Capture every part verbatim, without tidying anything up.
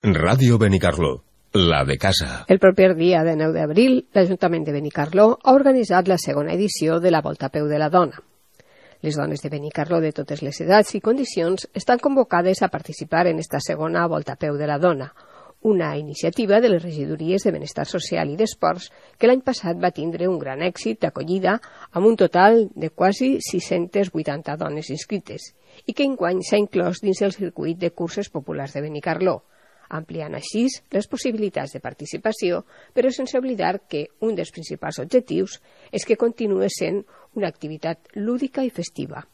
Ràdio Benicarló, la de casa. El proper dia de nou d'abril, l'Ajuntament de Benicarló ha organitzat la segona edició de la Volta a Peu de la Dona. Les dones de Benicarló de totes les edats i condicions estan convocades a participar en esta segona Volta a Peu de la Dona, una iniciativa de les regidories de Benestar Social i d'Esports que l'any passat va tindre un gran èxit d'acollida amb un total de quasi sis-centes vuitanta dones inscrites i que enguany s'ha inclòs dins el circuit de curses populars de Benicarló, ampliant així les possibilitats de participació, però sense oblidar que un dels principals objectius és que continuï sent una activitat lúdica i festiva.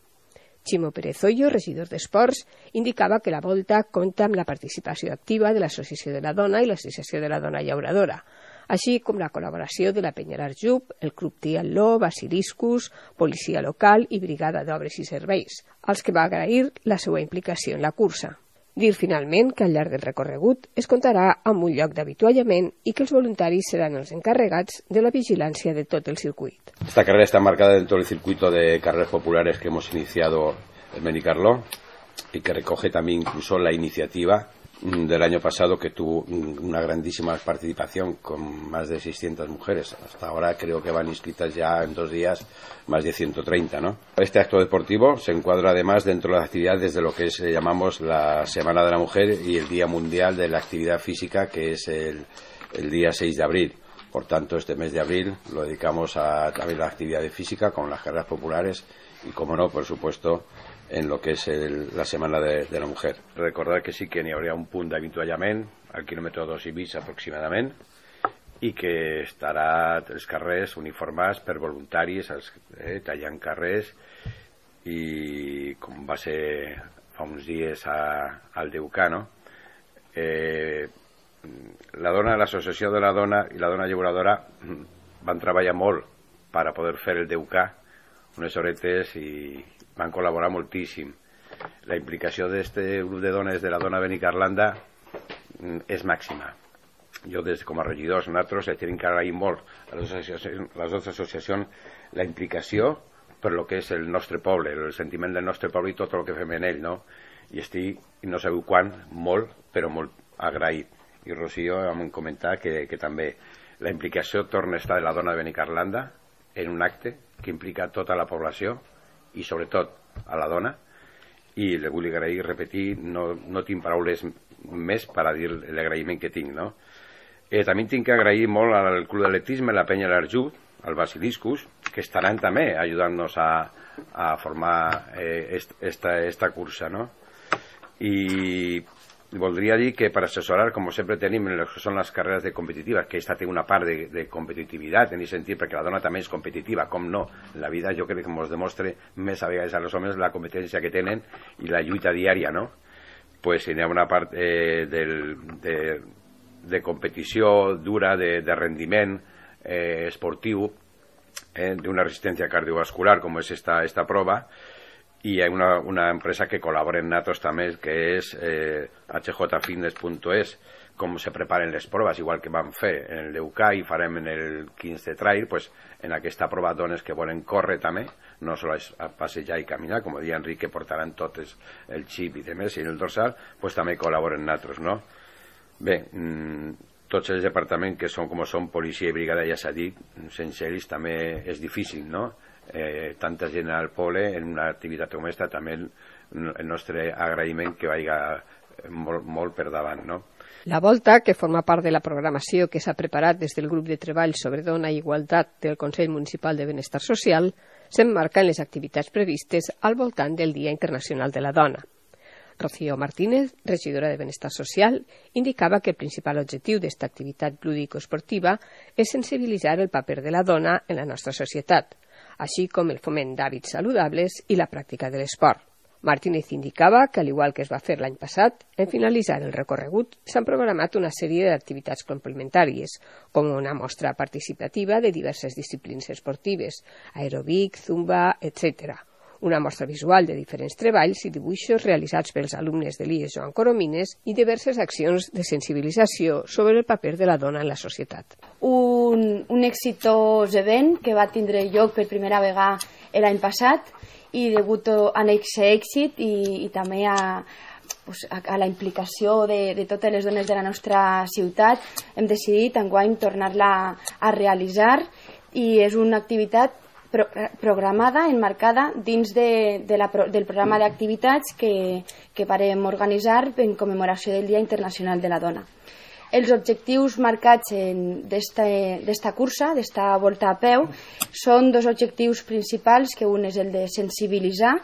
Ximo Pérez Hoyo, regidor d'Esports, indicava que la volta compta amb la participació activa de l'Associació de la Dona i l'Associació de la Dona Llauradora, així com la col·laboració de la Penyera Arjub, el Club Tialó, Basiliscus, Policia Local i Brigada d'Obres i Serveis, als que va agrair la seva implicació en la cursa. Dir finalment que al llarg del recorregut es comptarà amb un lloc d'avituallament i que els voluntaris seran els encarregats de la vigilància de tot el circuit. Esta carrera está marcada dentro del circuito de carreras populares que hemos iniciado en Benicarló y que recoge también incluso la iniciativa del año pasado, que tuvo una grandísima participación con más de seiscientas mujeres. Hasta ahora creo que van inscritas ya en dos días más de ciento treinta, ¿no? Este acto deportivo se encuadra además dentro de las actividades de lo que es, llamamos la Semana de la Mujer y el Día Mundial de la Actividad Física, que es el, el día seis de abril. Por tanto, este mes de abril lo dedicamos a también la actividad física con las carreras populares y, como no, por supuesto, en lo que és el, la Setmana de, de la Mujer. Recordar que sí que n'hi hauria un punt d'avituallament al quilòmetre dos i mig aproximadament i que estarà els carrers uniformats per voluntaris, els, eh, tallant carrers, i com va ser fa uns dies a, al D U C A, no? Eh, la dona, l'associació de la dona i la dona llauradora van treballar molt per a poder fer el D U C A, unes horetes, i van col·laborar moltíssim. La implicació d'aquest grup de dones de la dona Benicarlanda és màxima. Jo, des com a regidors, nosaltres tenim que agrair molt a les associacions, les dues associacions la implicació per lo que és el nostre poble, el sentiment del nostre poble i tot el que fem en ell, no? I estic, no sabeu quan, molt, però molt agraït. I Rocío em comentat que, que també la implicació torna a estar de la dona de Benicarlanda en un acte que implica tota la població i sobretot a la dona, i le vull agrair i repetir, no, no tinc paraules més per a dir l'agraïment que tinc, no? Eh, també tinc que agrair molt al Club d'Atletisme, la Penya l'Arjub, al Basiliscus, que estaran també ajudant-nos a, a formar eh, est, esta, esta cursa, no? I voldria dir que per assessorar, com sempre tenim en les que són les carreres de competitives, que aquesta té una part de, de competitivitat en aquest sentit, perquè la dona també és competitiva, com no, en la vida jo crec que ens demostra més a vegades a els homes la competència que tenen i la lluita diària, no? Pues hi ha una part eh, del, de, de competició dura, de, de rendiment eh, esportiu, eh, d'una resistència cardiovascular, com és esta, esta prova. I hi ha una, una empresa que col·labora en nosaltres també, que és eh, h j fitness punt es, com se preparen les proves, igual que vam fer en el D U C A i farem en el quinze trail, pues, en aquesta prova dones que volen córrer també, no només a passejar i caminar, com deia Enric, que portaran totes el xip i demés, i en el dorsal, pues, també col·laboren nosaltres, no? Bé, mmm, tots els departaments que són com són, policia i brigada, ja s'ha dit, sense ells també és difícil, no? Eh, tanta gent al poble en una activitat com aquesta, també el, el nostre agraïment que vagi molt, molt per davant, no? La volta, que forma part de la programació que s'ha preparat des del grup de treball sobre dona i igualtat del Consell Municipal de Benestar Social, s'emmarca en les activitats previstes al voltant del Dia Internacional de la Dona. Rocío Martínez, regidora de Benestar Social, indicava que el principal objectiu d'esta activitat lúdico-esportiva és sensibilitzar el paper de la dona en la nostra societat, així com el foment d'hàbits saludables i la pràctica de l'esport. Martínez indicava que, al igual que es va fer l'any passat, en finalitzar el recorregut s'han programat una sèrie d'activitats complementàries, com una mostra participativa de diverses disciplines esportives, aeròbic, zumba, etcètera, una mostra visual de diferents treballs i dibuixos realitzats pels alumnes de l'I E S Joan Coromines i diverses accions de sensibilització sobre el paper de la dona en la societat. Un, un exitós event que va tindre lloc per primera vegada l'any passat i degut a aquest èxit i, i també a, pues, a, a la implicació de, de totes les dones de la nostra ciutat, hem decidit enguany tornar-la a realitzar, i és una activitat pro, programada, enmarcada dins de, de la, del programa d'activitats que, que varem organitzar en commemoració del Dia Internacional de la Dona. Els objectius marcats d'esta cursa, d'esta volta a peu, són dos objectius principals, que un és el de sensibilitzar,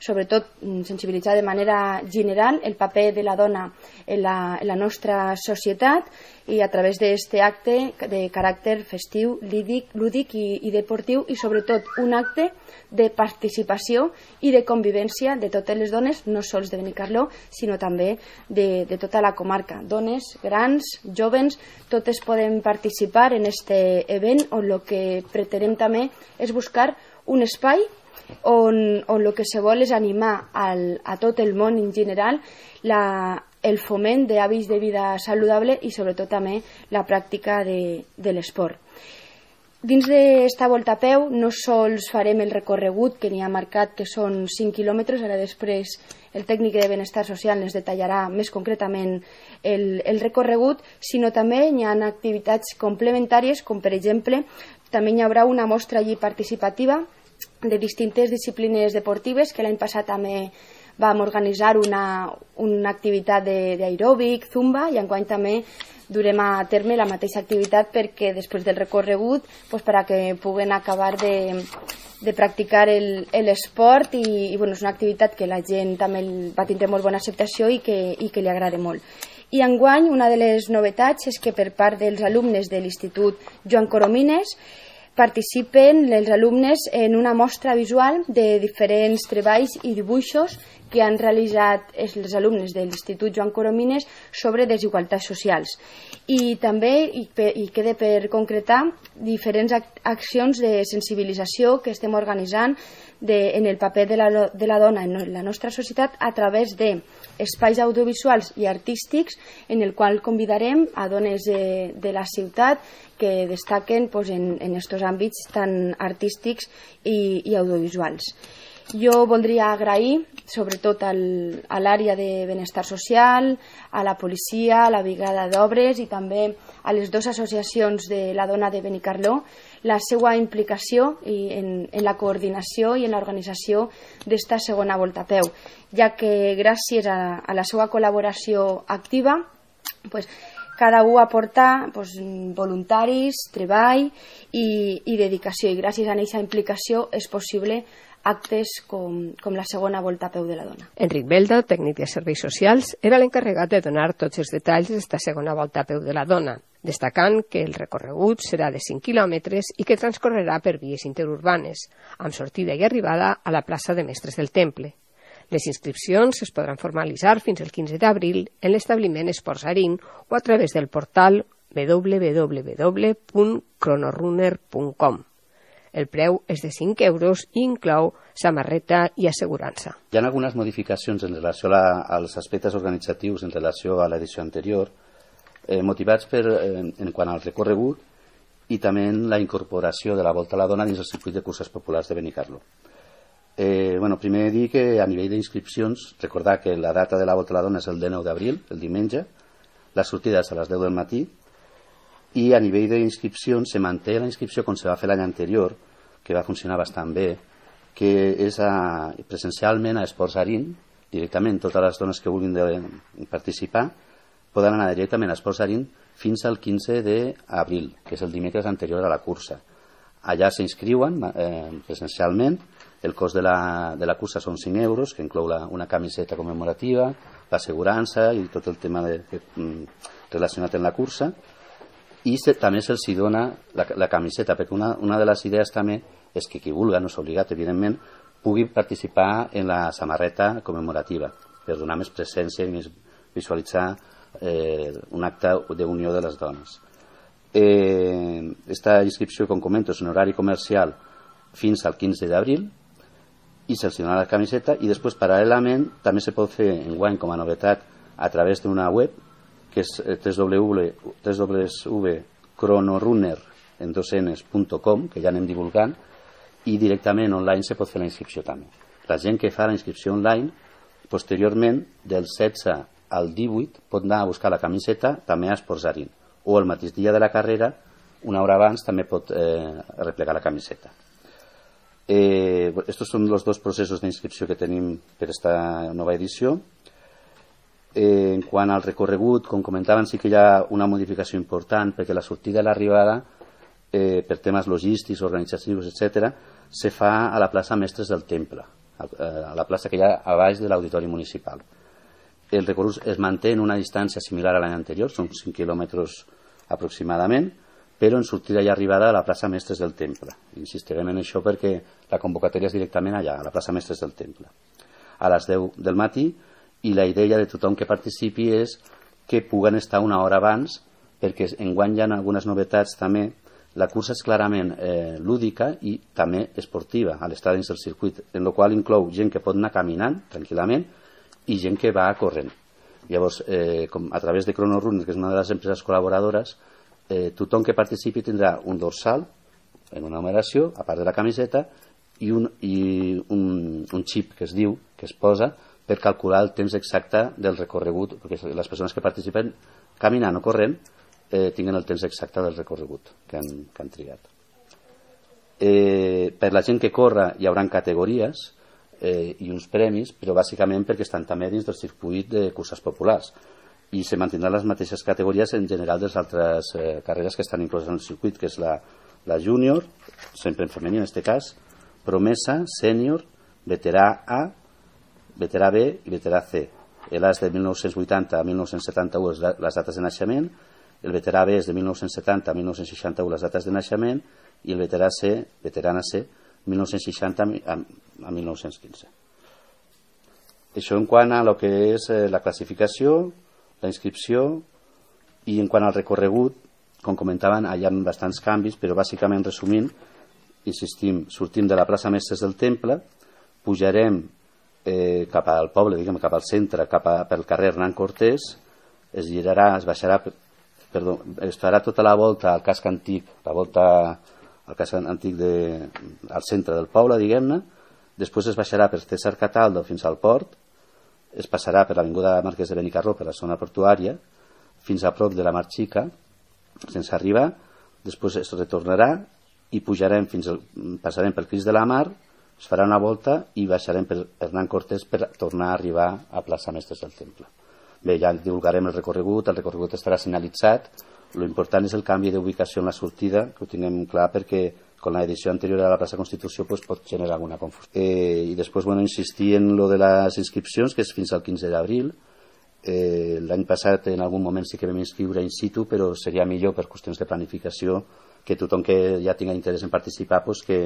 sobretot sensibilitzar de manera general el paper de la dona en la, en la nostra societat, i a través d'aquest acte de caràcter festiu, lúdic, lúdic i, i deportiu, i sobretot un acte de participació i de convivència de totes les dones, no sols de Benicarló, sinó també de, de tota la comarca. Dones, grans, jóvens, totes poden participar en aquest event, on el que pretenem també és buscar un espai on, on el que se vol és animar al, a tot el món en general la, el foment d'hàbits de vida saludable i sobretot també la pràctica de, de l'esport. Dins d'esta volta a peu no sols farem el recorregut que n'hi ha marcat, que són cinc quilòmetres, ara després el tècnic de benestar social ens detallarà més concretament el, el recorregut, sinó també hi ha activitats complementàries, com per exemple també hi haurà una mostra allí participativa de distintes disciplines deportives, que l'any passat també vam organitzar una, una activitat d'aeròbic, zumba, i enguany també durem a terme la mateixa activitat, perquè després del recorregut, pues, per a que puguen acabar de, de practicar l'esport, i, i bueno, és una activitat que la gent també va tindre molt bona acceptació i que, i que li agrada molt. I enguany una de les novetats és que per part dels alumnes de l'Institut Joan Coromines participen els alumnes en una mostra visual de diferents treballs i dibuixos que han realitzat els alumnes de l'Institut Joan Coromines sobre desigualtats socials. I també i, i queda per concretar diferents accions de sensibilització que estem organitzant de, en el paper de la, de la dona en la nostra societat a través d'espais audiovisuals i artístics, en el qual convidarem a dones de, de la ciutat que destaquen pues, en, en estos àmbits tan artístics i, i audiovisuals. Jo voldria agrair sobretot al, a l'àrea de benestar social, a la policia, a la brigada d'obres i també a les dues associacions de la dona de Benicarló la seva implicació i en, en la coordinació i en l'organització d'esta segona volta a peu, ja que gràcies a, a la seva col·laboració activa pues, cada un aporta pues, voluntaris, treball i, i dedicació, i gràcies a aquesta implicació és possible actes com, com la segona volta a peu de la dona. Enric Belda, tècnic de serveis socials, era l'encarregat de donar tots els detalls d'esta segona volta a peu de la dona, destacant que el recorregut serà de cinc quilòmetres i que transcorrerà per vies interurbanes, amb sortida i arribada a la plaça de Mestres del Temple. Les inscripcions es podran formalitzar fins el quinze d'abril en l'establiment Esports Arín o a través del portal w w w punt cronorunner punt com. El preu és de cinc euros i inclou samarreta i assegurança. Hi ha algunes modificacions en relació a, als aspectes organitzatius en relació a l'edició anterior, eh, motivats per, eh, en quant al recorregut i també en la incorporació de la Volta a la Dona dins el circuit de curses populars de Benicarló. Eh, bueno, primer dir que a nivell d'inscripcions, recordar que la data de la Volta a la Dona és el dinou d'abril, el diumenge, la sortida és a les deu del matí, i a nivell d'inscripcions se manté la inscripció com se va fer l'any anterior, que va funcionar bastant bé, que és a, presencialment a Esports Arín, directament totes les dones que vulguin de, participar poden anar directament a Esports Arín fins al quinze d'abril, que és el dimecres anterior a la cursa. Allà s'inscriuen eh, presencialment, el cost de la, de la cursa són cinc euros, que inclou la, una camiseta commemorativa, l'assegurança i tot el tema de, de, relacionat amb la cursa, i se, també se'ls dona la, la camiseta, perquè una, una de les idees també és que qui vulgui, no s'ha obligat, evidentment, pugui participar en la samarreta commemorativa, per donar més presència i més visualitzar eh, un acte d'unió de les dones. Eh, esta inscripció, com comento, és en horari comercial fins al quinze d'abril, i se'ls dona la camiseta, i després, paral·lelament, també se pot fer enguany com a novetat a través d'una web, que és w w w punt cronorunner punt com, que ja anem divulgant, i directament online se pot fer la inscripció també. La gent que fa la inscripció online Posteriorment, del setze al divuit, pot anar a buscar la camiseta també a Esportsarín, o el mateix dia de la carrera, una hora abans, també pot eh, replegar la camiseta. Eh, estos són els dos processos d'inscripció que tenim per aquesta nova edició. Eh, en quant al recorregut, com comentaven, sí que hi ha una modificació important, perquè la sortida i l'arribada, eh, per temes logístics, organitzatius, etcètera, se fa a la plaça Mestres del Temple, a la plaça que hi ha a baix de l'Auditori Municipal. El recorregut es manté en una distància similar a l'any anterior, són cinc quilòmetres aproximadament, però en sortida i arribada a la plaça Mestres del Temple. Insistirem en això perquè la convocatòria és directament allà, a la plaça Mestres del Temple, a les deu del matí, i la idea de tothom que participi és que puguen estar una hora abans, perquè enguany hi ha algunes novetats també. La cursa és clarament eh, lúdica i també esportiva a l'estat dins del circuit, en la qual inclou gent que pot anar caminant tranquil·lament i gent que va corrent. Llavors, eh, com a través de Chrono Runner, que és una de les empreses col·laboradores, eh, tothom que participi tindrà un dorsal en una numeració, a part de la camiseta, i un, i un, un xip que es diu, que es posa, per calcular el temps exacte del recorregut, perquè les persones que participen caminant o corrent eh, tinguen el temps exacte del recorregut que han, que han triat. Eh, per la gent que corre hi haurà categories eh, i uns premis, però bàsicament perquè estan també dins del circuit de curses populars i se mantindran les mateixes categories en general de les altres eh, carreres que estan incloses en el circuit, que és la, la júnior, sempre en femení en aquest cas, promesa, sènior, veterà A, veterà B i veterà C. El A és de mil nou-cents vuitanta a mil nou-cents setanta-u les dates de naixement, el veterà B és de mil nou-cents setanta a mil nou-cents seixanta-u les dates de naixement i el veterà C, veterana C, mil nou-cents seixanta a mil nou-cents quinze. Això en quant a lo que és la classificació, la inscripció, i en quant al recorregut, com comentaven, hi ha bastants canvis, però bàsicament resumint, insistim, sortim de la plaça Mestres del Temple, pujarem eh, cap al poble, diguem, cap al centre, cap a, pel carrer Hernán Cortés, es girarà, es baixarà, perdó, es farà tota la volta al casc antic, la volta al casc antic de, al centre del poble, diguem-ne, després es baixarà per César Cataldo fins al port, es passarà per l'avinguda Marquès de Benicarló, per la zona portuària, fins a prop de la Mar Xica, sense arribar, després es retornarà i pujarem fins al, passarem pel Crist de la Mar, es farà una volta i baixarem per Hernán Cortés per tornar a arribar a plaça Mestres del Temple. Bé, ja divulgarem el recorregut, el recorregut estarà senyalitzat, l'important és el canvi d'ubicació en la sortida, que ho tinguem clar perquè con l'edició anterior a la plaça Constitució pues, pot generar alguna confusió. Eh, I després, bueno, insistir en lo de les inscripcions, que és fins al quinze d'abril. Eh, L'any passat en algun moment sí que vam inscriure in situ, però seria millor per qüestions de planificació que tothom que ja tinga interès en participar pues, que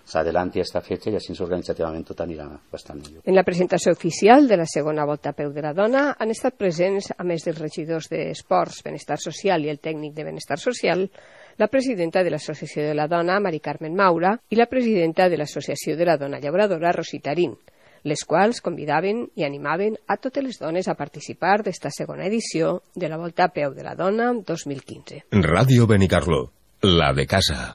s'adelanti a esta fetge i així organitzativament tot anirà bastant millor. En la presentació oficial de la segona Volta a Peu de la Dona han estat presents, a més dels regidors d'Esports, Benestar Social i el tècnic de Benestar Social, la presidenta de l'Associació de la Dona, Mari Carmen Maura, i la presidenta de l'Associació de la Dona Llauradora, Rosita Arín, les quals convidaven i animaven a totes les dones a participar d'esta segona edició de la Volta a Peu de la Dona dos mil quinze. Ràdio Benicarló, la de casa.